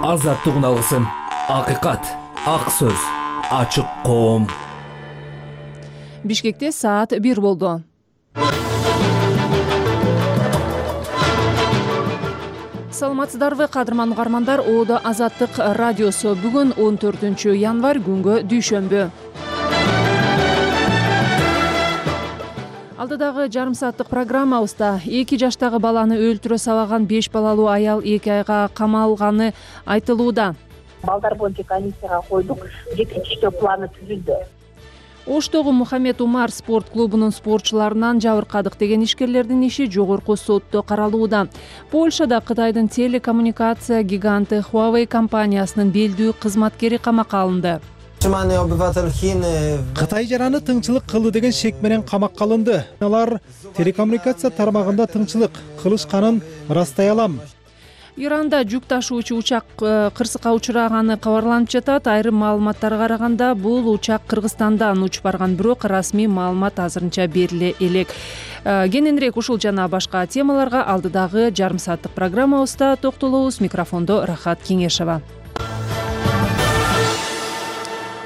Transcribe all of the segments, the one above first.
Азаттык алгысым, акыйкат, ак сөз, ачык коом. Бишкекте саат 1 болду. Саламатсыздарбы, кадырман угармандар. Оодо Азаттык радиосу. Бүгүн 14 январь, күнгө дүйшөмбү. Алдыдагы жарым сааттык программабызда 2 жаштагы баланы өлтүрө сабаган 5 балалуу аял 2 айга камалганы айтылууда. Балдар боюнча комиссияга койдук, жетекчилөө планы түзүлдү. Оштогу Мухаммед Умар спорт клубунун спортчуларынан жабыркадык деген ишкерлердин иши жогорку сотто каралууда. Польшада Кытайдын телекоммуникация гиганты Huawei компаниясынын белдүү кызматкери камакка алынды. Кытай жараны тыңчылык кылды деген шек менен камакка алынды. Алар телекоммуникация тармагында тыңчылык кылышканын ырастай алам. Иранда жүк ташуучу учак кырсыкка учураганы кабарланып жатат. Айрым маалыматтарга караганда бул учак Кыргызстандан учуп барган, бирок расмий маалымат азырынча бериле элек. Кененирээк ушул жана башка темаларга алдыдагы жарым сааттык программабызда токтолобуз. Микрофондо Рахат Кеңешова.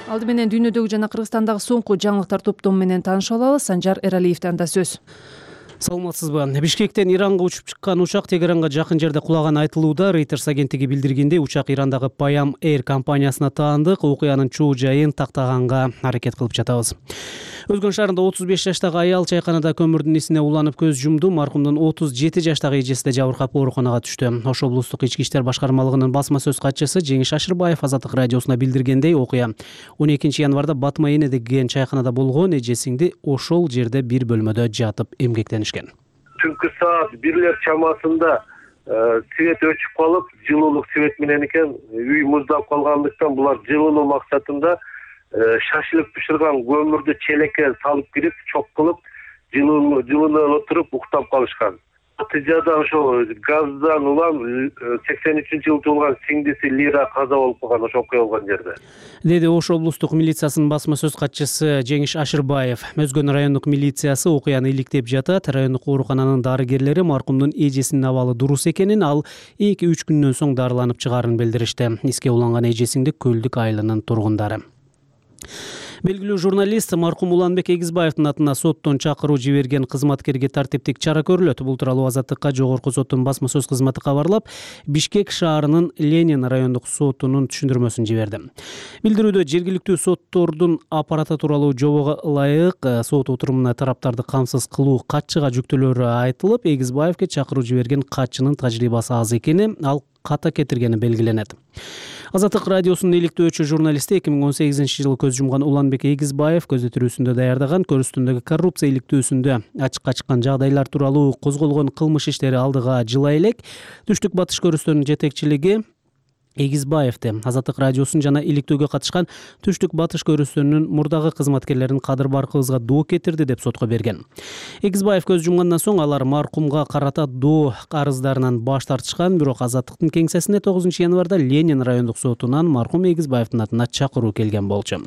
Алды менен дүйнөдөгү жана Кыргызстандагы соңку жаңылыктар топтому менен таанышып алабыз. Санжар Эралиевден да сөз. Саламатсызбы? Бишкектен Иранга учуп чыккан учак Тегеранга жакын жерде кулаганы айтылууда. Reuters агенттиги билдиргендей, учак Ирандагы Payam Air компаниясына таандык. Окуянын чоо жайын тактаганга аракет кылып жатабыз. Өзгөн шаарында 35 жаштагы аял чайканада көмүрдүн исине уланып көз жумду. Маркумдун 37 жаштагы эжеси да жабыркап ооруканага түштү. Ош облустук ички иштер башкармалыгынын басма сөз катчысы Жеңиш Ашырбаев Азаттык радиосуна билдиргендей, окуя 12 январда Батма Эне деген чайканада болгон. Эжесиңди ошол жерде бир бөлмөдө жатып эмгектенишкен. Түнкү саат 1 чамасында свет өчүп калып, жылуулук свет менен экен, үй муздап калгандыктан булар жылынуу максатында шашылып бышырган көмүрдү челекке салып кирип, чок кылып, жылынып отуруп уктап калышкан. Натыйжада ошо газдан улам 83-жылы туулган сиңдиси Лира каза болуп калган, ошо окуя болгон жерде. Деди Ош облустук милициясынын басма сөз катчысы Жеңиш Ашырбаев. Мөзгөн райондук милициясы окуяны иликтеп жатат. Райондук оорукананын дарыгерлери маркумдун эжесинин абалы дурус экенин, ал 2-3 күндөн соң дарыланып чыгаарын билдиришти. Иске уланган эжесиңди Көлдүк айылынын тургундары. Белгилүү журналист маркум Уланбек Эгизбаевдин атына соттон чакыруу жиберген кызматкерге тартиптик чара көрүлөт. Бул тууралуу Азаттыкка жогорку соттун басма сөз кызматы кабарлап, Бишкек шаарынын Ленин райондук сотунун түшүндүрмөсүн жиберди. Билдирүүдө жергиликтүү соттордун аппараты тууралуу жобого ылайык сот отурумуна тараптарды камсыз кылуу катчыга жүктөлөрү айтылып, Эгизбаевге чакыруу жиберген катчынын тажрыйбасы аз экени, ал ката кетиргени белгиленет. Азаттык радиосунун иликтөөчү журналисти 2018-жылы көз жумган Уланбек Эгизбаев көзөтүүсүндө даярдаган көрүстүндөгү коррупция иликтөөсүндө ачыкка чыккан жагдайлар тууралуу козголгон кылмыш иштери алдыга жыла элек. Түштүк батыш көрүстөрүнүн жетекчилиги Эгизбаевди Азаттык радиосунун жана иликтөөгө катышкан Түштүк батыш көрүстөрүнүн мурдагы кызматкерлерин Кадыр Баркыбызга доо кетирди деп сотко берген. Эгизбаев көз жумгандан соң алар маркумга карата доо арыздарынан баш тартышкан, бирок Азаттыктын кеңсесине 9 январда Ленин райондук сотунан маркум Эгизбаевдин атына чакыруу келген болчу.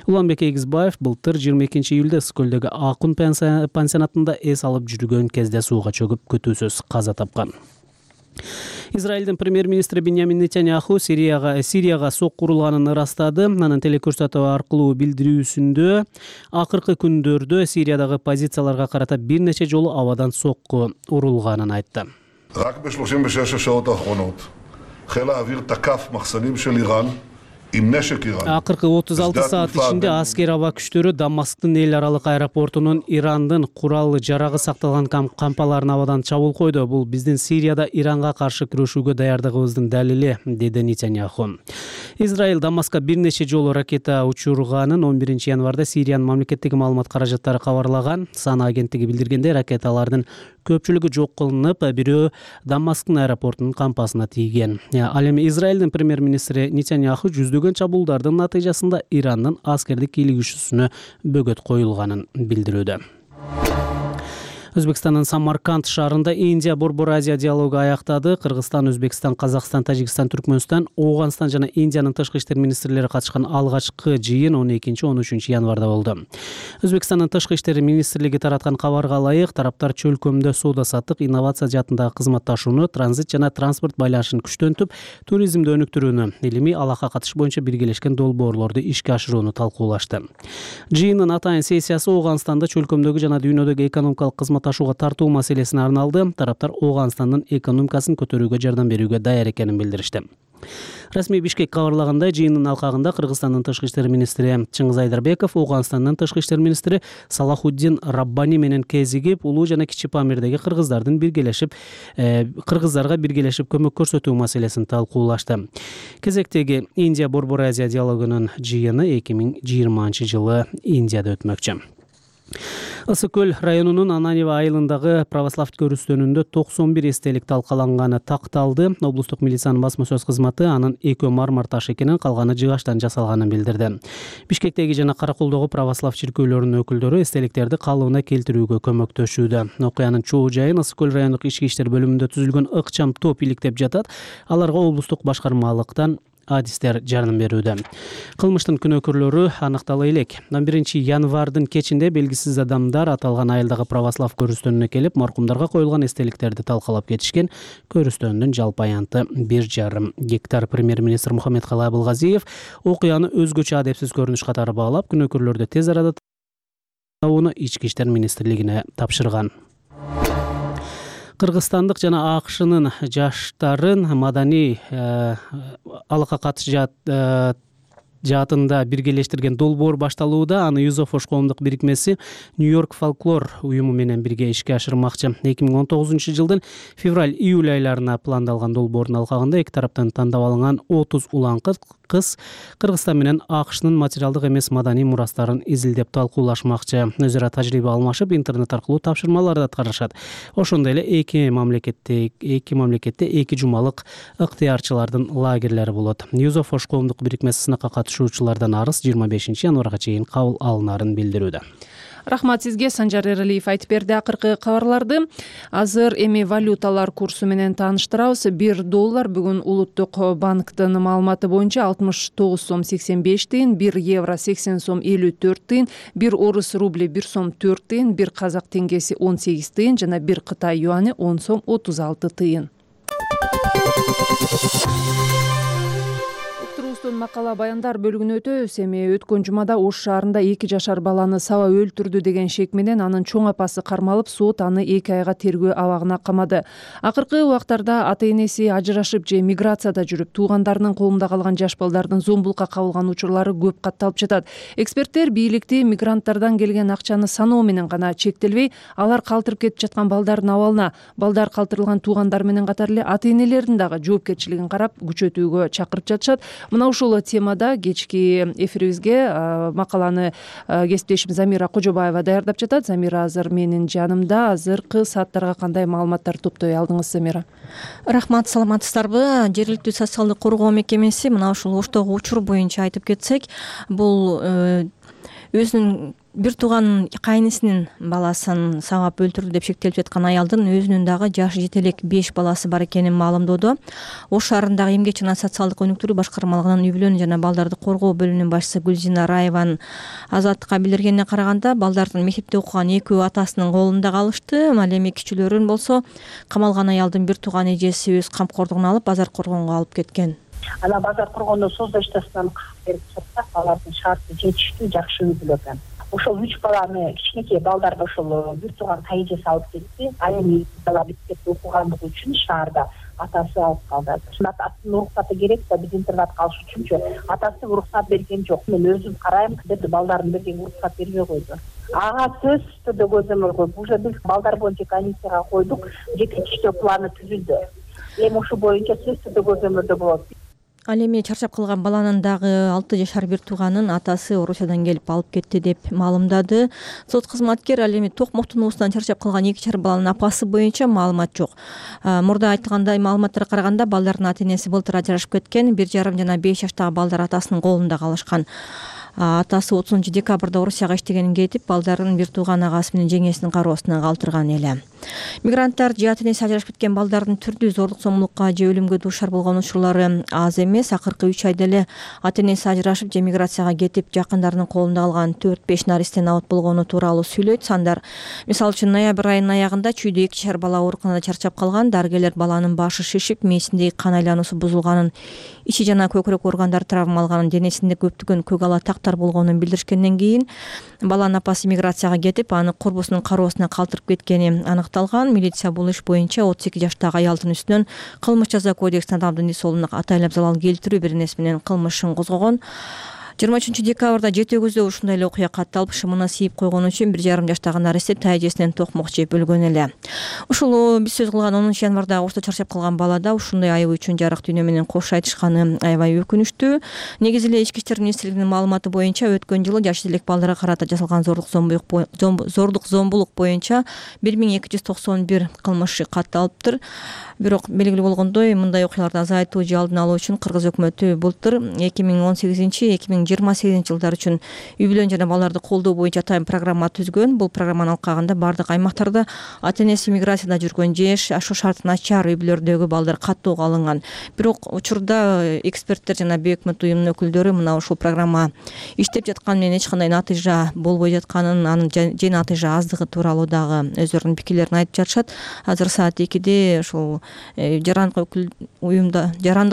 Уланбек Эгизбаев былтыр 22 июлда Скөлдөгү Акун пансионатында эс алып жүргөн кезде сууга чөгүп көтүүсүз каза тапкан. Израилдин премьер-министри Биньямин Нетаньяху Сирияга сокку урулганын ырастады. Анын телекөрсөтүү аркылуу билдирүүсүндө акыркы күндөрдө Сириядагы позицияларга карата бир нече жолу абадан сокку урулганын айтты. Акыркы 36 саат ичинде аскер аба күчтөрү Дамасктын эл аралык аэропортунун Ирандын курал жарагы сакталган кампаларына абадан чабуул койду. Бул биздин Сирияда Иранга каршы күрөшүүгө даярдыгыбыздын далили, деди Нетаньяху. Израиль Дамаскка бир нече жолу ракета учурганын 11 январда Сириянын мамлекеттик маалымат каражаттары кабарлаган. Сана агенттиги билдиргендей, ракеталардын көпчүлүгү жок кылынып, бирөө Дамасктын аэропортунун кампасына тийген. Ал эми Израилдин премьер-министри Нетаньяху жүздөгөн чабуулдардын натыйжасында Ирандын аскердик кийлигишүүсүнө бөгөт коюлганын билдирүүдө. Өзбекстандын Самарканд шаарында Индия Борбор Азия диалогу аяктады. Кыргызстан, Өзбекстан, Казакстан, Тажикстан, Түркмөнстан, Ооганстан жана Индиянын тышкы иштер министрлери катышкан алгачкы жыйын 12-13 январда болду. Өзбекстандын тышкы иштер министрлиги тараткан кабарга ылайык, тараптар чөлкөмдө соода-саттык, инновация жаатындагы кызматташууну, транзит жана транспорт байланышын күчтөнтүп, туризмди өнүктүрүүнү, илимий алака катыш боюнча биргелешкен долбоорлорду ишке ашырууну талкуулашты. Жыйындын атайын сессиясы Ооганстанда чөлкөмдөгү жана дүйнөдөгү экономикалык кызматташууга тартуу маселесине арналды. Тараптар Ооганстандын экономикасын көтөрүүгө жардам берүүгө даяр экенин билдиришти. Расмий Бишкек кабарлагандай, жыйындын алкагында Кыргызстандын тышкы иштер министри Чыңгыз Айдарбеков, Ооганстандын тышкы иштер министри Салахуддин Раббани менен кезигип, улуу жана кичи Памирдеги кыргыздарга биргелешип көмөк көрсөтүү маселесин талкуулашты. Кезектеги Индия Борбор Азия диалогунун жыйыны 2020-жылы Индияда өтмөкчү. Ысык көл районунун Ананева айылындагы православ көрүстөнүндө 91 эстелик талкаланганы такталды. Облустук милициянын басма сөз кызматы анын экөө мармар таш экенин, калганы жыгачтан жасалганын билдирди. Бишкектеги жана Каракулдогу православ чиркөөлөрүнүн өкүлдөрү эстеликтерди калыбына келтирүүгө көмөктөшүүдө. Окуянын чоо жайын Ысык көл райондук ички иштер бөлүмүндө түзүлгөн ыкчам топ иликтеп жатат. Аларга облустук башкармалыктан адистер жардам берүүдө. Кылмыштын күнөөкөрлөрү аныктала элек. 1 январдын кечинде белгисиз адамдар аталган айылдагы православ көрүстөнүнө келип, маркумдарга коюлган эстеликтерди талкалап кетишкен. Көрүстөндүн жалпы аянты 1,5 гектар. Премьер-министр Мухаммедкалый Абылгазиев окуяны өзгөчө адепсиз көрүнүш катары баалап, күнөөкөрлөрдү тез арада табууну Ички иштер министрлигине тапшырган. Кыргызстандык жана АКШнын жаштарын маданий алака катыш жаатында биргелештирген долбоор башталууда. Аны Юзофош коомдук бирикмеси Нью-Йорк фолклор уюму менен бирге ишке ашырмакчы. 2019-жылдын февраль-июль айларына пландалган долбоордун алкагында эки тараптан тандап алынган 30 улан кыз Кыргызстан менен АКШнын материалдык эмес маданий мурастарын изилдеп талкуулашмакчы. Өзара тажрыйба алмашып, интернет аркылуу тапшырмаларды аткарышат. Ошондой эле эки мамлекетте эки жумалык ыктыярчылардын лагерлери болот. Юзофош коомдук бирикмеси сынакка катышуучулардан арыз 25 январга чейин кабыл алынарын билдирүүдө. Рахмат сизге, Санжар Эралиев айтып берди акыркы кабарларды. Азыр эми валюталар курсу менен тааныштырабыз. $1 бүгүн Улуттук банктын маалыматы боюнча 69 сом 85 тыйын, 1 евро 80 сом 54 тыйын, 1 орус рубли 1 сом 4 тыйын, 1 казак теңгеси 18 тыйын жана 1 Кытай юаны 10 сом 36 тыйын. Макала баяндар бөлүгүнө өтөбүз. Эми өткөн жумада Ош шаарында 2 жашар баланы саба өлтүрдү деген шек менен анын чоң апасы кармалып, сот аны 2 айга тергөө абагына камады. Акыркы убактарда ата-энеси ажырашып же миграцияда жүрүп, туугандарынын колунда калган жаш балдардын зомбулукка кабылган учурлары көп катталып жатат. Эксперттер бийликти мигранттардан келген акчаны саноо менен гана чектелбей, алар калтырып кетип жаткан балдардын абалына, балдар калтырылган туугандар менен катар эле ата-энелердин дагы жоопкерчилигин карап күчөтүүгө чакырып жатышат. Мына ушул темада кечки эфирибизге макаланы кесиптешим Замира Кожобаева даярдап жатат. Замира азыр менин жанымда. Азыркы сааттарга кандай маалыматтар топтой алдыңыз, Замира? Рахмат, саламатсыздарбы? Жергиликтүү социалдык коргоо мекемеси мына ушул Оштогу учур боюнча айтып кетсек, бул өзүнүн бир тууган кайнысынын баласын сабап өлтүрдү деп шектелип жаткан аялдын өзүнүн дагы жашы жете элек 5 баласы бар экенин маалымдоодо. Ош шаарындагы эмгек жана социалдык өнүктүрүү башкармалыгынын үй-бүлөнү жана балдарды коргоо бөлүмүнүн башчысы Гүлзина Раеванын Азаттыкка билдиргенине караганда, балдардын мектепте окуган экөө атасынын колунда калышты. Ал эми кичилөрүн болсо камалган аялдын бир тууган эжеси өз камкордугуна алып, базар коргонго алып кеткен. Ана базар коргондо создоштасынан берип сатсак, алардын шарты жетиштүү, жакшы үй-бүлө экен. Ошол 3 баланы, кичинекей балдарды ошол бир тууган кайжеси алып кетти. Ал эми бала мектепте окугандыгы үчүн шаарда атасы алып калды. Атасынын уруксаты керек да, биз интернатка алыш үчүнчү. Атасы уруксат берген жок. Мен өзүм карайм деп балдарын берген уруксат бербей койду. Ага сөзсүздө көзөмөл коюп, уже биз балдар боюнча комиссияга койдук, жетиштүү планы түзүлдү. Эми ушу боюнча сөзсүздө көзөмөлдө болот. Ал эми чарчап калган баланын дагы 6 жашар бир тууганын атасы Орусиядан келип алып кетти деп маалымдады сот кызматкер. Ал эми токмоктун уусунан чарчап калган 2 жашар баланын апасы боюнча маалымат жок. Мурда айтылгандай маалыматтарга караганда балдардын ата-энеси былтыр ажырашып кеткен. 1,5 жана 5 жаштагы балдар атасынын колунда калышкан. Атасы 30 декабрда Орусияга иштегенин кетип, балдарын бир тууган агасы менен жеңесинин кароосуна калтырган эле. Мигранттар же ата-энеси ажырашып кеткен балдардын түрдүү зордук зомбулукка же өлүмгө дуушар болгон учурлары аз эмес. Акыркы 3 айда эле ата-энеси ажырашып же миграцияга кетип, жакындарынын колунда калган 4-5 наристен абот болгону тууралуу сүйлөйт сандар. Мисалы үчүн ноябрь айынын аягында чүйдө 2 жашар бала ооруканада чарчап калган. Дарыгерлер баланын башы шишип, мээсиндеги кан айлануусу бузулганын, ичи жана көкүрөк органдары травма алганын, денесинде көптөгөн көк ала тактар болгонун билдиришкенден кийин баланын апасы миграцияга кетип, аны курбусунун кароосуна калтырып кеткени аныкталган. Милиция бул иш боюнча 32 жаштагы аялдын үстүнөн кылмыш жаза кодексинин адамдын үй соолугуна атайлап залал келтирүү беренеси менен кылмышын козгогон. 23 декабрда Жети Өгүздө ушундай эле окуя катталып, шымына siiп койгон үчүн 1,5 жаштагы наристе тайжесинен токмок жеп өлгөн эле. Ушул биз сөз кылган 10 январда Орусда чарчап калган балада ушундай айып үчүн жарык дүйнө менен кош айтышканы аябай өкүнүчтүү. Негизи эле Ички иштер министрлигинин маалыматы боюнча өткөн жылы жаш элек балдарга карата жасалган зордук зомбулук боюнча 1291 кылмыш катталыптыр. Бирок белгилүү болгондой, мындай окуяларды азайтуу же алдын алуу үчүн Кыргыз өкмөтү былтыр 2018-2028 жылдар үчүн үй бүлөнү жана балдарды колдоо боюнча атайын программа түзгөн. Бул программанын алкагында бардык аймактарда ата-энеси миграцияда жүргөн же ашуу шарты начар үй бүлөлөрдөгү балдар каттоого алынган. Бирок учурда эксперттер жана бейөкмөт уюмдун өкүлдөрү мына ушул программа иштеп жатканы менен эч кандай натыйжа болбой жатканын, анын же натыйжа аздыгы тууралуу дагы өздөрүнүн пикирлерин айтып жатышат. Азыр саат 2-де ушул жарандык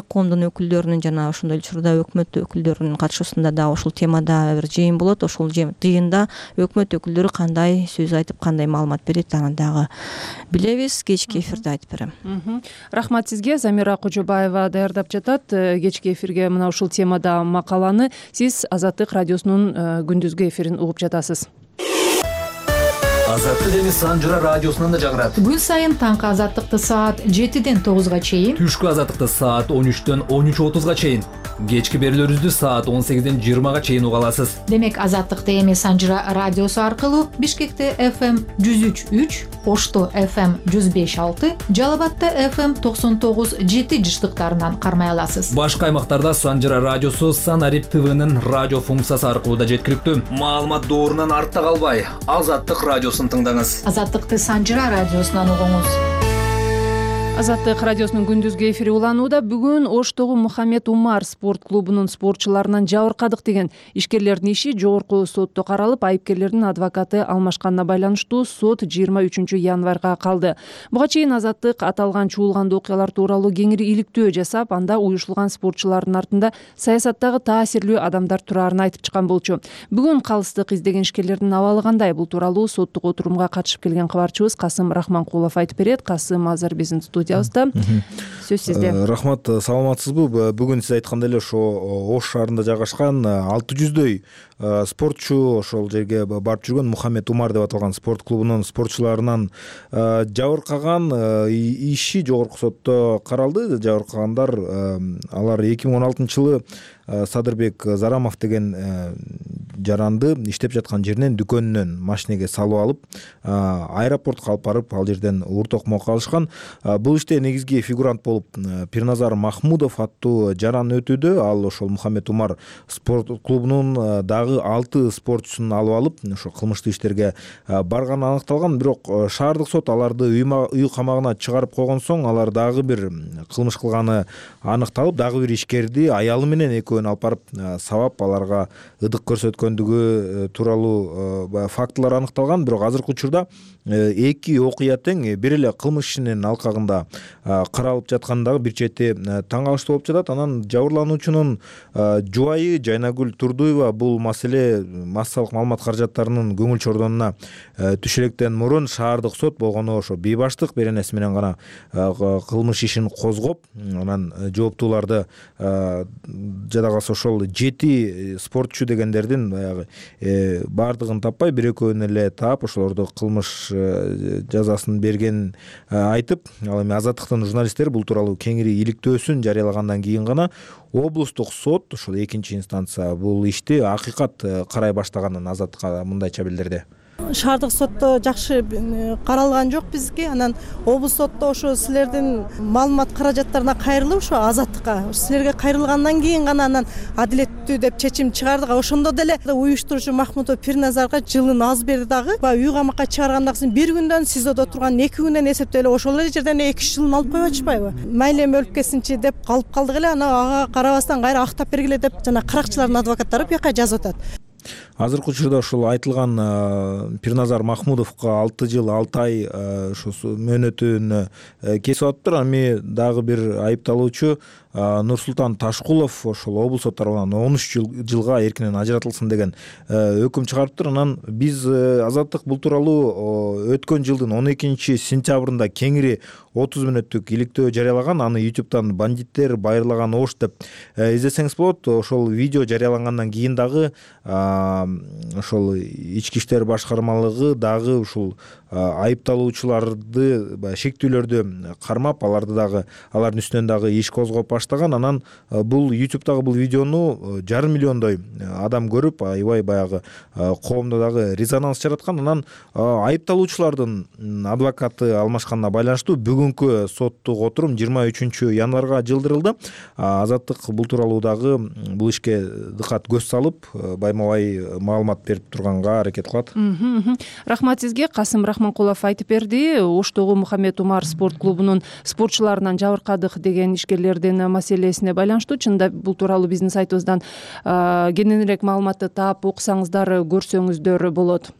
коомдун өкүлдөрүнүн жана ошондой эле учурда өкмөт өкүлдөрүнүн катышуусунда дагы ушул темада бир жыйын болот. Ошол жыйында өкмөт өкүлдөрү кандай сөз айтып, кандай маалымат берет, аны дагы билебиз. Кечки эфирде айтып берем. Рахмат сизге. Замира Кожобаева даярдап жатат кечки эфирге мына ушул темада макаланы. Сиз Азаттык радиосунун күндүзгү эфирин угуп жатасыз. Азаттык эми Санжыра радиосунан да жагырат. Күн сайын таңкы Азаттыкты саат 7-ден 9-га чейин, Түшкү Азаттыкты саат 13-төн 13:30-га чейин, кечки берүүлөрүбүздү саат 18-ден 20-га чейин уга аласыз. Демек Азаттыкты эми Санжыра радиосу аркылуу Бишкекте FM 103.3, Ошто FM 105.6, Жалал-Абадта FM 99.7 жыштыктарынан кармай аласыз. Башка аймактарда Санжыра радиосу Санарип ТВнын радио функциясы аркылуу да жеткиликтүү. Маалымат доорунан артта калбай, Азаттык радиосун тыңдаңыз. Азаттыкты Санжыра радиосунан угуңуз. Азаттык радиосунун күндүзгү эфири уланууда. Бүгүн Оштогу Мухаммед Умар спорт клубунун спортчуларынан жабыркадык деген ишкерлердин иши жогорку сотто каралып, айыпкерлердин адвокаты алмашканына байланыштуу сот 23 январга калды. Буга чейин Азаттык аталган чуулгандуу окуялар тууралуу кеңири иликтөө жасап, анда уюшулган спортчулардын артында саясаттагы таасирлүү адамдар турарын айтып чыккан болчу. Бүгүн калыстык издеген ишкерлердин абалы кандай? Бул тууралуу соттук отурумга катышып келген кабарчыбыз Касым Рахманкулов айтып берет. Касым азыр биздин студиябызда. Сөз сизде. Рахмат, саламатсызбы? Бүгүн сиз айткандай эле ошо Ош шаарында жайгашкан 600дөй спортчу ошол жерге барып жүргөн Мухаммед Умар деп аталган спорт клубунун спортчуларынан жабыркаган иши жогорку сотто каралды. Жабыркагандар алар 2016-жылы Садырбек Зарамов деген жаранды иштеп жаткан жеринен дүкөнүнөн машинеге салып алып, аэропортко алып барып, ал жерден уур токмокко алышкан. Бул иште негизги фигурант болуп Пирназар Махмудов аттуу жаран өтүүдө. Ал ошол Мухаммед Умар спорт клубунун дагы 6 спортчусун алып алып, ошо кылмыштуу иштерге барганы аныкталган. Бирок шаардык сот аларды үй камагына чыгарып койгон соң, алар дагы бир кылмыш кылганы аныкталып, дагы бир ишкерди аялы менен экөөнү алып барып сабап, аларга ыдык көрсөткөндүгү тууралуу фактылар аныкталган. Бирок азыркы учурда эки окуя тең бир эле кылмыш ишинин алкагында каралып жаткандыгы бир чети таң калыштуу болуп жатат. Анан жабырлануучунун жубайы Жайнагүл Турдуева бул маселе массалык маалымат каражаттарынын көңүл чордонуна түшүрөктөн мурун шаардык сот болгону ошо бейбаштык беренеси менен гана кылмыш ишин козгоп, анан жооптууларды жада калса ошол 7 спортчу дегендердин баягы баардыгын таппай бир экөөнү эле таап ошолорду кылмыш жазасын бергенин айтып, ал эми Азаттыктын журналисттери бул тууралуу кеңири иликтөөсүн жарыялагандан кийин гана облустук сот ошол экинчи инстанция бул ишти акыйкат карай баштаганын Азаттыкка мындайча билдирди. Шаардык сотто жакшы каралган жок бизге. Анан облус сотто ошо силердин маалымат каражаттарына кайрылып ошо Азаттыкка силерге кайрылгандан кийин гана анан адилеттүү деп чечим чыгардык. Ошондо деле уюштуруучу Махмутов Пирназарга жылын аз берди дагы. Үй камакка чыгаргандан кийин бир күндөн СИЗОдо турган 2 күндөн эсептөй эле ошол эле жерден 2 жылын алып коюп атышпайбы? Мейли эми өлүп кетсинчи деп калып калдык эле. Ана ага карабастан кайра актап бергиле деп жана каракчылардын адвокаттары бияка жазып атат. Азыркы учурда ушул айтылган Пирназар Махмудовго 6 жыл 6 ай ошо мөөнөтүн кесип атыптыр. Ами дагы бир айыпталуучу Нурсултан Ташкулов ошол облус сот тарабынан 13 жылга эркинен ажыратылсын деген өкүм чыгарыптыр. Анан биз Азаттык бул тууралуу өткөн жылдын 12 сентябрында кеңири 30 мүнөттүк иликтөө жарыялаган. Аны YouTube'дан бандиттер байырлаган ош деп издесеңиз болот. Ошол видео жарыялангандан кийин дагы ошол ички иштер башкармалыгы дагы ушул айыпталуучуларды шектүүлөрдү кармап, алардын үстүнөн дагы иш козгоп баштаган. Анан бул YouTube'дагы бул видеону 500 миллиондой адам көрүп, аябай баягы коомдо дагы резонанс жараткан. Анан айыпталуучулардын адвокаты алмашканына байланыштуу бүгүнкү соттук отурум 23 январга жылдырылды. Азаттык бул тууралуу дагы бул ишке дыкат көз салып, байма-бай маалымат берип турганга аракет кылат. Рахмат сизге. Касым Рахманкулов айтып берди. Оштогу Мухаммед Умар спорт клубунун спортчуларынан жабыркадык деген ишкерлердин маселесине байланыштуу. Чында бул тууралуу биздин сайтыбыздан кененирээк маалыматты таап окусаңыздар, көрсөңүздөр болот.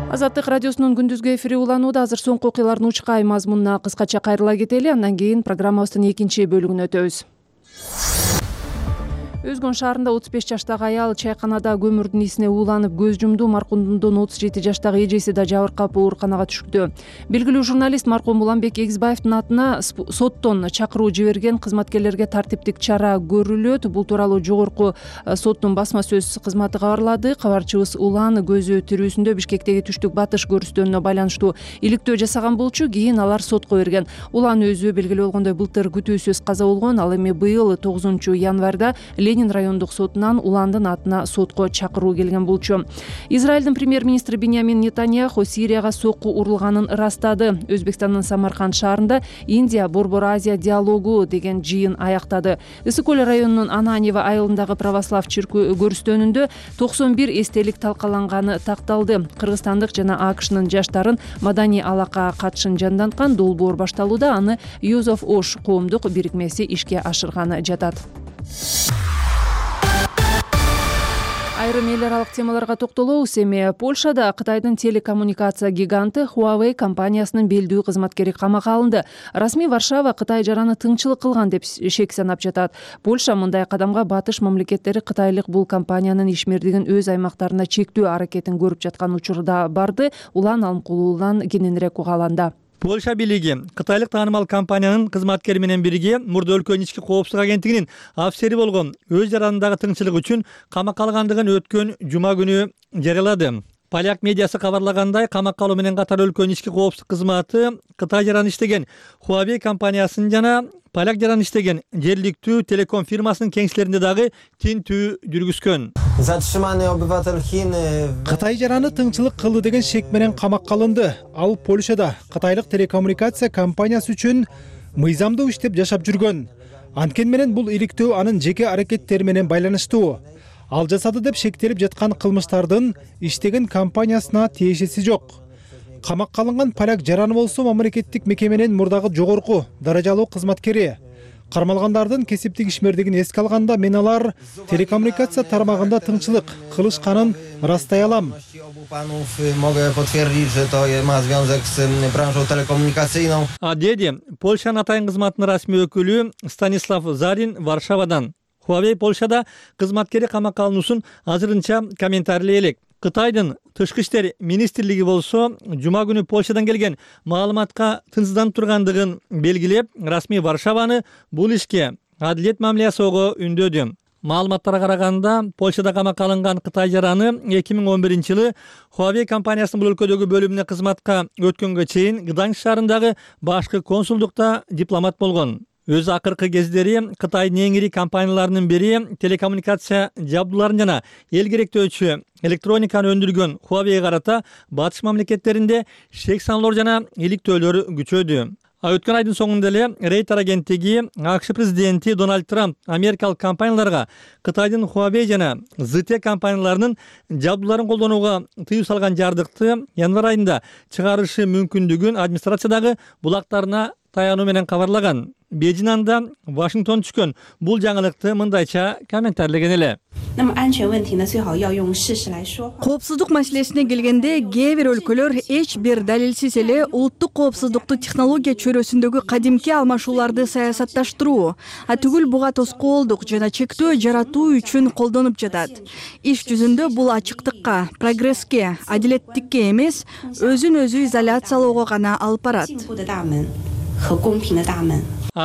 Азаттык радиосунун күндүзгү эфири уланууда. Азыр соңку окуялардын учкай мазмунуна кыскача кайрыла кетели. Андан кийин программабыздын экинчи бөлүгүнө өтөбүз. Өзгөн шаарында 35 жаштагы аял чайканада көмүрдүн исине ууланып көз жумду. Маркумдун 37 жаштагы эжеси да жабыркап ооруканага түшүктү. Белгилүү журналист маркум Уланбек Эгизбаевдин атына соттон чакыруу жиберген, кызматкерлерге тартиптик чара көрүлөт. Бул тууралуу жогорку соттун басма сөз кызматы кабарлады. Кабарчыбыз Улан көзү тирүүсүндө Бишкектеги түштүк батыш көрүстөөнүнө байланыштуу иликтөө жасаган болчу. Кийин алар сотко берген. Улан өзү белгилүү болгондой былтыр күтүүсүз каза болгон. Ал эми быйыл 9 январда Ленин райондук сотунан Уландын атына сотко чакыруу келген болчу. Израилдин премьер-министри Биньямин Нетаньяху Сирияга сокку урулганын ырастады. Өзбекстандын Самарканд шаарында Индия Борбор Азия диалогу деген жыйын аяктады. Ысык-Көл районунун Ананьево айылындагы православ көрүстөөнүндө 91 эстелик талкаланганы такталды. Кыргызстандык жана АКШнын жаштарын маданий алака катышын жанданткан долбоор башталууда. Аны Youth of Osh коомдук бирикмеси ишке ашырганы жатат. Айрым эл аралык темаларга токтолобуз. Эми Польшада Кытайдын телекоммуникация гиганты Huawei компаниясынын белдүү кызматкери камакка алынды. Расмий Варшава Кытай жараны тыңчылык кылган деп шек санап жатат. Польша мындай кадамга батыш мамлекеттери кытайлык бул компаниянын ишмердигин өз аймактарына чектөө аракетин көрүп жаткан учурда барды. Улан Алмкулуулан кененирээк угааланда. Польша бийлиги кытайлык таанымал компаниянын кызматкери менен бирге мурда өлкөнүн ички коопсуздук агенттигинин афисери болгон өз жаранындагы тыңчылык үчүн камакка алгандыгын өткөн жума күнү жарыялады. Поляк медиасы кабарлагандай, камакка алуу менен катар өлкөнүн ички коопсуздук кызматы Кытай жараны иштеген Huawei компаниясын жана поляк жараны иштеген жергиликтүү телеком фирмасынын кеңселеринде дагы тинтүү жүргүзгөн. Кытай жараны тыңчылык кылды деген шек менен камакка алынды. Ал Польшада кытайлык телекоммуникация компаниясы үчүн мыйзамдуу иштеп жашап жүргөн. Анткени менен бул иликтөө анын жеке аракеттери менен байланыштуу. Ал жасады деп шектелип жаткан кылмыштардын иштеген компаниясына тиешеси жок. Камакка алынган поляк жараны болсо мамлекеттик мекеменин мурдагы жогорку даражалуу кызматкери. Кармалгандардын кесиптик ишмердигин эске алганда мен алар телекоммуникация тармагында тыңчылык кылышканын ырастай алам. Деди Польшанын атайын кызматынын расмий өкүлү Станислав Зарин Варшавадан. Huawei Польшада кызматкери камакка алынуусун азырынча комментарийлей элек. Кытайдын тышкы иштер министрлиги болсо жума күнү Польшадан келген маалыматка тынчсызданып тургандыгын белгилеп, расмий Варшаваны бул ишке адилет мамиле жасоого үндөдү. Маалыматтарга караганда, Польшада камакка алынган Кытай жараны 2011-жылы Huawei компаниясынын бул өлкөдөгү бөлүмүнө кызматка өткөнгө чейин Гданьск шаарындагы башкы консулдукта дипломат болгон. Өзү акыркы кездери Кытайдын эң ири компанияларынын бири телекоммуникация жабдууларын жана эл керектөөчү электрониканы өндүргөн Huawei карата батыш мамлекеттеринде шек саналар жана иликтөөлөр күчөдү. Өткөн айдын соңунда эле Рейтер агенттиги АКШ президенти Дональд Трамп америкалык компанияларга Кытайдын Huawei жана ZTE компанияларынын жабдууларын колдонууга тыюу салган жардыкты январь айында чыгарышы мүмкүндүгүн администрациядагы булактарына таянуу менен кабарлаган. Бейжин анда Вашингтон түшкөн бул жаңылыкты мындайча комментарлеген эле. Коопсуздук маселесине келгенде, кээ бир өлкөлөр эч бир далилсиз эле улуттук коопсуздукту технология чөйрөсүндөгү кадимки алмашууларды саясатташтыруу, түгүл буга тоскоолдук жана чектөө жаратуу үчүн колдонуп жатат. Иш жүзүндө бул ачыктыкка, прогресске, адилеттикке эмес, өзүн өзү изоляциялоого гана алып барат.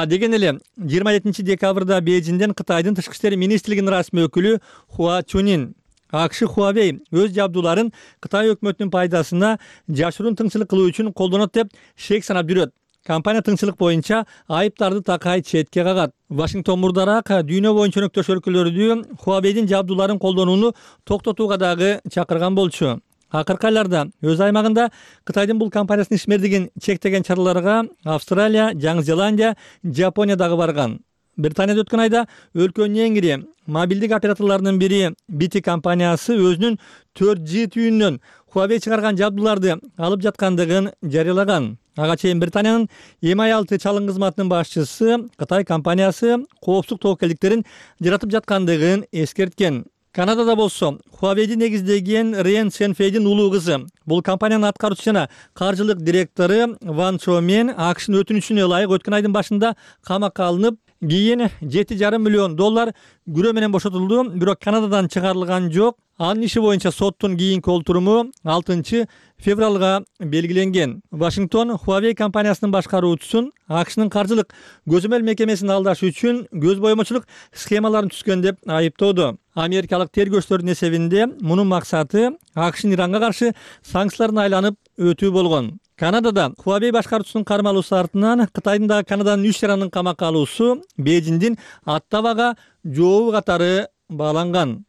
Деген эле 27 декабрда Бейжинден Кытайдын тышкы иштер министрлигинин расмий өкүлү Хуа Чунин АКШ Huawei өз жабдууларын Кытай өкмөтүнүн пайдасына жашыруун тыңчылык кылуу үчүн колдонот деп шек санап жүрөт. Компания тыңчылык боюнча айыптарды такай четке кагат. Вашингтон мурдараак дүйнө боюнча өнөктөш өлкөлөрдү Huawei'дин жабдууларын колдонууну токтотууга дагы чакырган болчу. Акыркы айларда өз аймагында Кытайдын бул компаниясынын ишмердигин чектеген чараларга Австралия, Жаңы Зеландия, Жапония дагы барган. Британияда өткөн айда өлкөнүн эң ири мобилдик операторлорунун бири BT компаниясы өзүнүн 4G түйүнүнөн Huawei чыгарган жабдууларды алып жаткандыгын жарыялаган. Ага чейин Британиянын MI6 чалым кызматынын башчысы Кытай компаниясы коопсуздук тобокелдиктерин жаратып жаткандыгын эскерткен. Канадада болсо Huawei'ди негиздеген Рен Сенфейдин улуу кызы, бул компаниянын аткаруучу жана каржылык директору Ван Чо мен АКШнын өтүнүчүнө ылайык өткөн айдын башында камакка алынып, кийин $7,5 миллион күрөө менен бошотулду, бирок Канададан чыгарылган жок. Анын иши боюнча соттун кийинки олтуруму 6 февралга белгиленген. Вашингтон Huawei компаниясынын башкаруучусун АКШнын каржылык көзөмөл мекемесин алдаш үчүн көз боемочулук схемаларын түзгөн деп айыптоодо. Америкалык тергөөчүлөрдүн эсебинде мунун максаты АКШнын Иранга каршы санкцияларына айланып өтүү болгон. Канадада Huawei башкаруучусунун кармалуусу артынан Кытайдын дагы Канаданын 3 жаранын камакка алуусу Бейжиндин аттабага жообу катары бааланган.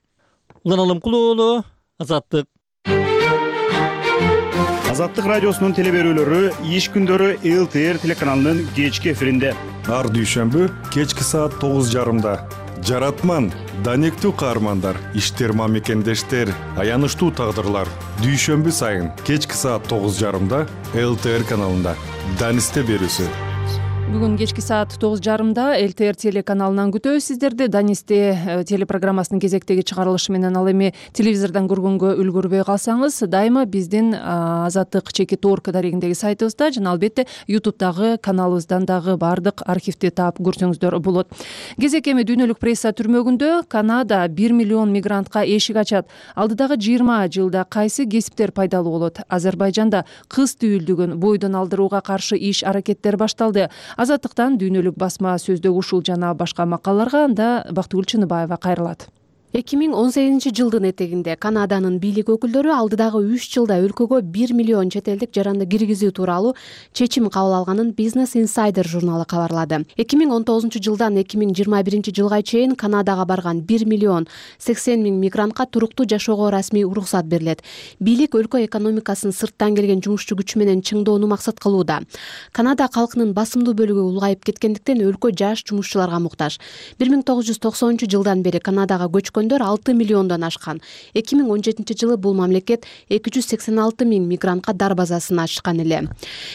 Улан Алымкул уулу, Азаттык. Азаттык радиосунун телеберүүлөрү иш күндөрү ЛТР телеканалынын кечки эфиринде. Ар дүйшөмбү кечки саат 9:30. Жаратман, данектүү каармандар, иштер мамекендештер, аянычтуу тагдырлар. Дүйшөмбү сайын кечки саат 9:30 ЛТР каналында. Данисте берүүсү. Бүгүн кечки саат 9:30 ЛТР телеканалынан күтөбүз сиздерди. Данисте телепрограммасынын кезектеги чыгарылышы менен ал эми телевизордон көргөнгө үлгүрбөй калсаңыз, дайыма биздин Азаттык чекит орг дарегиндеги сайтыбызда жана албетте YouTube'дагы каналыбыздан дагы бардык архивди таап көрсөңүздөр болот. Кезек эми дүйнөлүк пресса түрмөгүндө Канада 1 миллион мигрантка эшик ачат. Алдыдагы 20 жылда кайсы кесиптер пайдалуу болот? Азербайжанда кыз түйүлдүгүн бойдон алдырууга каршы иш аракеттер башталды. Азаттыктан дүйнөлүк басма сөздөгү ушул жана башка макалаларга анда Бактыгүл Чыныбаева кайрылат. 2018 жылдын этегинде Канаданын бийлик өкүлдөрү алдыдагы 3 жылда өлкөгө 1 миллион чет элдик жаранды киргизүү тууралуу чечим кабыл алганын Business Insider журналы кабарлады. 2019 жылдан 2021 жылга чейин Канадага барган 1 миллион 80 миң мигрантка туруктуу жашоого расмий уруксат берилет. Бийлик өлкө экономикасын сырттан келген жумушчу күч менен чыңдоону максат кылууда. Канада калкынын басымдуу бөлүгү улгайып кеткендиктен өлкө жаш жумушчуларга муктаж. 1990 жылдан бери Канадага көчкөн 6 миллиондон ашкан. 2017 жылы бул мамлекет 286 миң мигрантка дар базасын ачкан эле.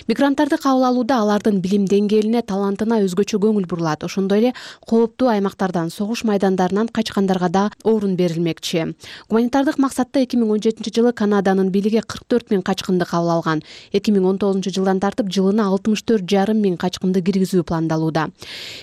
Мигранттарды кабыл алууда алардын билим деңгээлине, талантына өзгөчө көңүл бурулат. Ошондой эле кооптуу аймактардан, согуш майдандарынан качкандарга да орун берилмекчи. Гуманитардык максатта 2017 жылы Канаданын бийлиги 44 миң качкынды кабыл алган. 2019 жылдан тартып жылына 64,5 миң качкынды киргизүү пландалууда.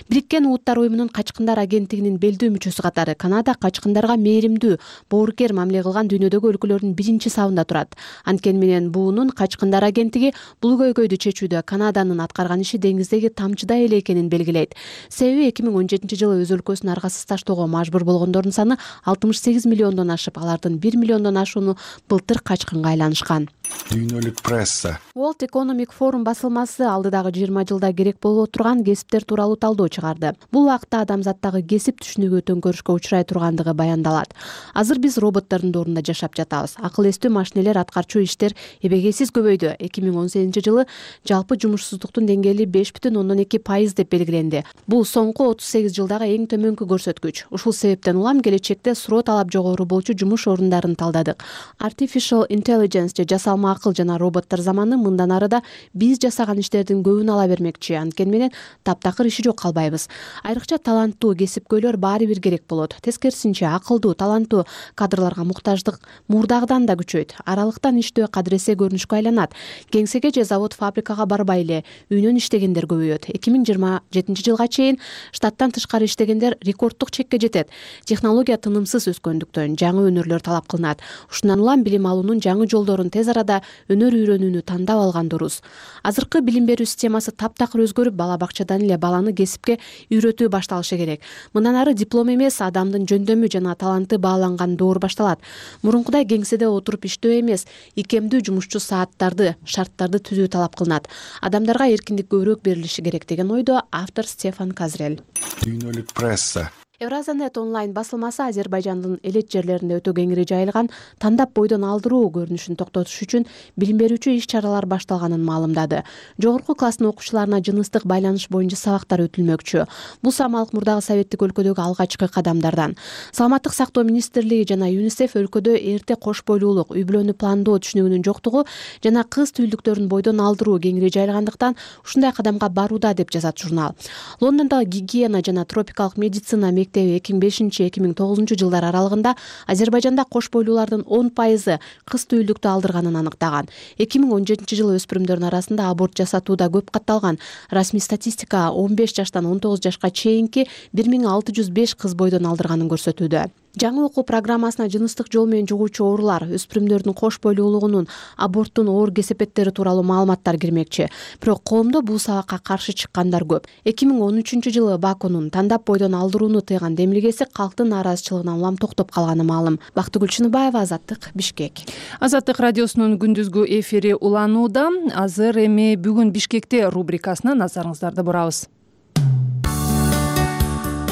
Бириккен Улуттар уюмунун качкындар агенттигинин белдүү мүчөсү катары Канада качкындар качкындарга мээримдүү, боорукер мамиле кылган дүйнөдөгү өлкөлөрдүн биринчи сабында турат. Анткени менен буунун качкындар агенттиги бул көйгөйдү чечүүдө Канаданын аткарган иши деңиздеги тамчыдай эле экенин белгилейт. Себеби 2017-жылы өз өлкөсүн аргасыз таштоого мажбур болгондордун саны 68 миллиондон ашып, алардын 1 миллиондон ашууну былтыр качкынга айланышкан. Дүйнөлүк пресса. World Economic Forum басылмасы алдыдагы 20 жылда керек боло турган кесиптер тууралуу талдоо чыгарды. Бул акта адамзаттагы кесип түшүнүгү төңкөрүшкө учурай тургандыгы баяндалат. Азыр биз роботтордун доорунда жашап жатабыз. Акыл эстүү машинелер аткарчу иштер эбегейсиз көбөйдү. 2018-жылы жалпы жумушсуздуктун деңгээли 5,2% деп белгиленди. Бул соңку 38 жылдагы эң төмөнкү көрсөткүч. Ушул себептен улам келечекте суроо талап жогору болчу жумуш орундарын талдадык. Artificial Intelligence же жасалма акыл жана роботтор заманы мындан ары да биз жасаган иштердин көбүн ала бермекчи. Анткени менен таптакыр иши жок калбайбыз. Айрыкча таланттуу кесипкөйлөр баары бир керек болот. Тескерисинче акылдуу, таланттуу кадрларга муктаждык мурдагыдан да күчөйт. Аралыктан иштөө кадыресе көрүнүшкө айланат. Кеңсеге же завод-фабрикага барбай эле үйүнөн иштегендер көбөйөт. 2027-жылга чейин штаттан тышкары иштегендер рекорддук чекке жетет. Технология тынымсыз өскөндүктөн жаңы өнөрлөр талап кылынат. Ушундан улам билим алуунун жаңы жолдорун тез арада өнөр үйрөнүүнү тандап алган дурус. Азыркы билим берүү системасы таптакыр өзгөрүп, бала бакчадан эле баланы кесипке үйрөтүү башталышы керек. Мындан ары диплом эмес, адамдын жөндөмү жана таланты бааланган доор башталат. Мурункудай кеңседе отуруп иштөө эмес, икемдүү жумушчу сааттарды, шарттарды түзүү талап кылынат. Адамдарга эркиндик көбүрөөк берилиши керек деген ойдо автор Стефан Казрель. Дүйнөлүк пресса. Евразанет онлайн басылмасы Азербайжандын элет жерлеринде өтө кеңири жайылган тандап бойдон алдыруу көрүнүшүн токтотуш үчүн билим берүүчү иш-чаралар башталганын маалымдады. Жогорку класстын окуучуларына жыныстык байланыш боюнча сабактар өтүлмөкчү. Бул самалык мурдагы советтик өлкөдөгү алгачкы кадамдардан. Саламаттык сактоо министрлиги жана ЮНИСЕФ өлкөдө эрте кош бойлуулук, үй бүлөнү пландоо түшүнүгүнүн жоктугу жана кыз түйүлдүктөрүн бойдон алдыруу кеңири жайылгандыктан ушундай кадамга барууда деп жазат журнал. Лондондогу гигиена жана тропикалык медицина 2005-2009 жылдар аралыгында Азербайжанда кош бойлуулардын 10% кыз түйүлдүктү алдырганын аныктаган. 2017-жылы өспүрүмдөрдүн арасында аборт жасатууда көп катталган. Расмий статистика 15 жаштан 19 жашка чейинки 1605 кыз бойдон алдырганын көрсөтүүдө. Жаңы окуу программасына жыныстык жол менен жугуучу оорулар, өспүрүмдөрдүн кош бойлуулугунун, аборттун оор кесепеттери тууралуу маалыматтар кирмекчи. Бирок коомдо бул сабакка каршы чыккандар көп. 2013-жылы Бакунун тандап бойдон алдырууну тыйган демилгеси калктын нааразычылыгынан улам токтоп калганы маалым. Бактыгүл Чыныбаева, Азаттык, Бишкек. Азаттык радиосунун күндүзгү эфири уланууда. Азыр эми бүгүн Бишкекте рубрикасына назарыңыздарды бурабыз.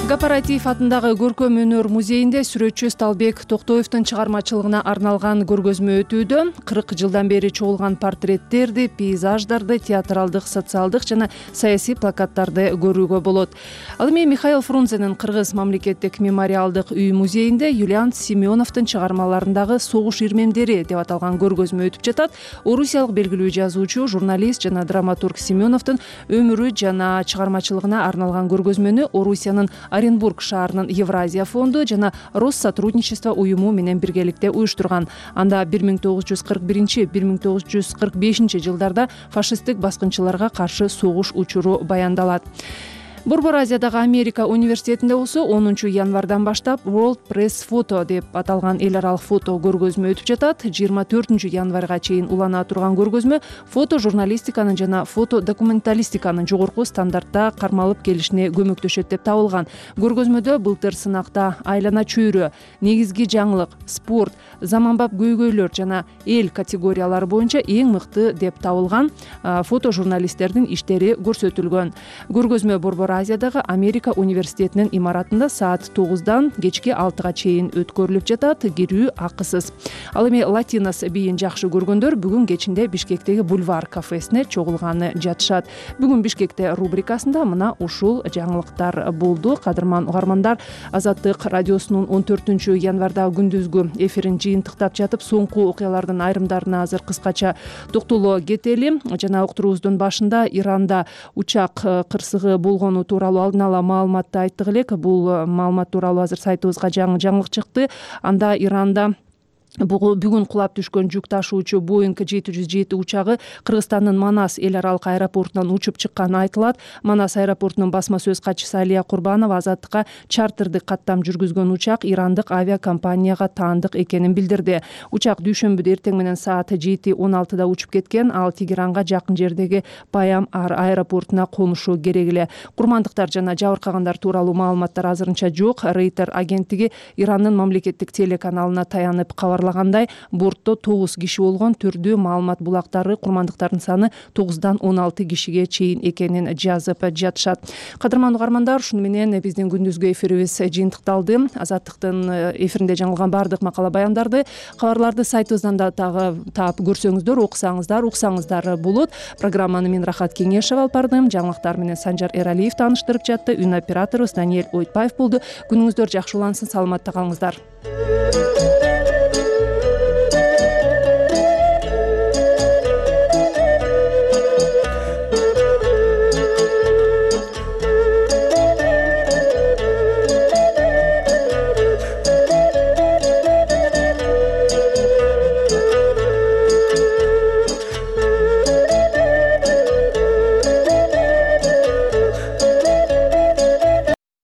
Кооператив атындагы көркөм өнөр музейинде сүрөтчү Сталбек Токтоевдун чыгармачылыгына арналган көргөзмө өтүүдө. 40 жылдан бери чогулган портреттерди, пейзаждарды, театралдык, социалдык жана саясий плакаттарды көрүүгө болот. Ал эми Михаил Фрунзенин Кыргыз мамлекеттик мемориалдык үй музейинде Юлиан Семеновдун чыгармаларындагы согуш ирмемдери деп аталган көргөзмө өтүп жатат. Орусиялык белгилүү жазуучу, журналист жана драматург Семеновдун өмүрү жана чыгармачылыгына арналган көргөзмөнү Орусиянын Оренбург шаарынын Евразия фонду жана Россотрудничество уюму менен биргеликте уюштурган. Анда 1941-1945 жылдарда фашисттик баскынчыларга каршы согуш учуру баяндалат. Борбор Азиядагы Америка университетинде болсо 10 январдан баштап World Press Photo деп аталган эл аралык фото көргөзмө өтүп жатат. 24 январга чейин улана турган көргөзмө фото журналистиканын жана фото документалистиканын жогорку стандартта кармалып келишине көмөктөшөт деп табылган. Көргөзмөдө былтыр сынакта айлана чөйрө, негизги жаңылык, спорт, заманбап көйгөйлөр жана эл категориялары боюнча эң мыкты деп табылган фото журналисттердин иштери көрсөтүлгөн. Көргөзмө Борбор Азиядагы Америка университетинин имаратында саат 9-дан кечки 6-га чейин өткөрүлүп жатат. Кирүү акысыз. Ал эми Латинос бийин жакшы көргөндөр бүгүн кечинде Бишкектеги Бульвар кафесине чогулганы жатышат. Бүгүн Бишкекте рубрикасында мына ушул жаңылыктар болду. Кадырман угармандар, Азаттык радиосунун 14 январда күндүзгү эфирин жыйынтыктап жатып, соңку окуялардын айрымдарына азыр кыскача токтоло кетели. Жана уктуруубуздун башында Иранда учак кырсыгы болгону тууралуу алдын ала маалыматты айттык элек. Бул маалымат тууралуу азыр сайтыбызга жаңы жаңылык чыкты. Анда Иранда бүгүн кулап түшкөн жүк ташуучу Boeing 707 учагы Кыргызстандын Манас эл аралык аэропортунан учуп чыкканы айтылат. Манас аэропортунун басма сөз катчысы Алия Курбанова Азаттыкка чартердик каттам жүргүзгөн учак ирандык авиакомпанияга таандык экенин билдирди. Учак дүйшөмбүдө эртең менен саат 7:16 учуп кеткен. Ал Тегеранга жакын жердеги Баям аэропортуна конушу керек эле. Курмандыктар жана жабыркагандар тууралуу маалыматтар азырынча жок. Рейтер агенттиги Ирандын мамлекеттик телеканалына таянып кабарлагандай, бортто 9 киши болгон. Түрдүү маалымат булактары курмандыктардын саны 9дан 16 кишиге чейин экенин жазып жатышат. Кадырмандуу угармандар, ушуну менен биздин күндүзгү эфирибиз жыйынтыкталды. Азаттыктын эфиринде жаңылган баардык макала баяндарды, кабарларды сайтыбыздан да таап көрсөңүздөр, уксаңыздар болот. Программаны мен Рахат Кеңешева алып бардым. Жаңылыктар менен Санжар Эралиев тааныштырып жатты. Үн операторубуз Даниэль Ойтбаев болду. Күнүңүздөр жакшы улансын, саламатта калыңыздар.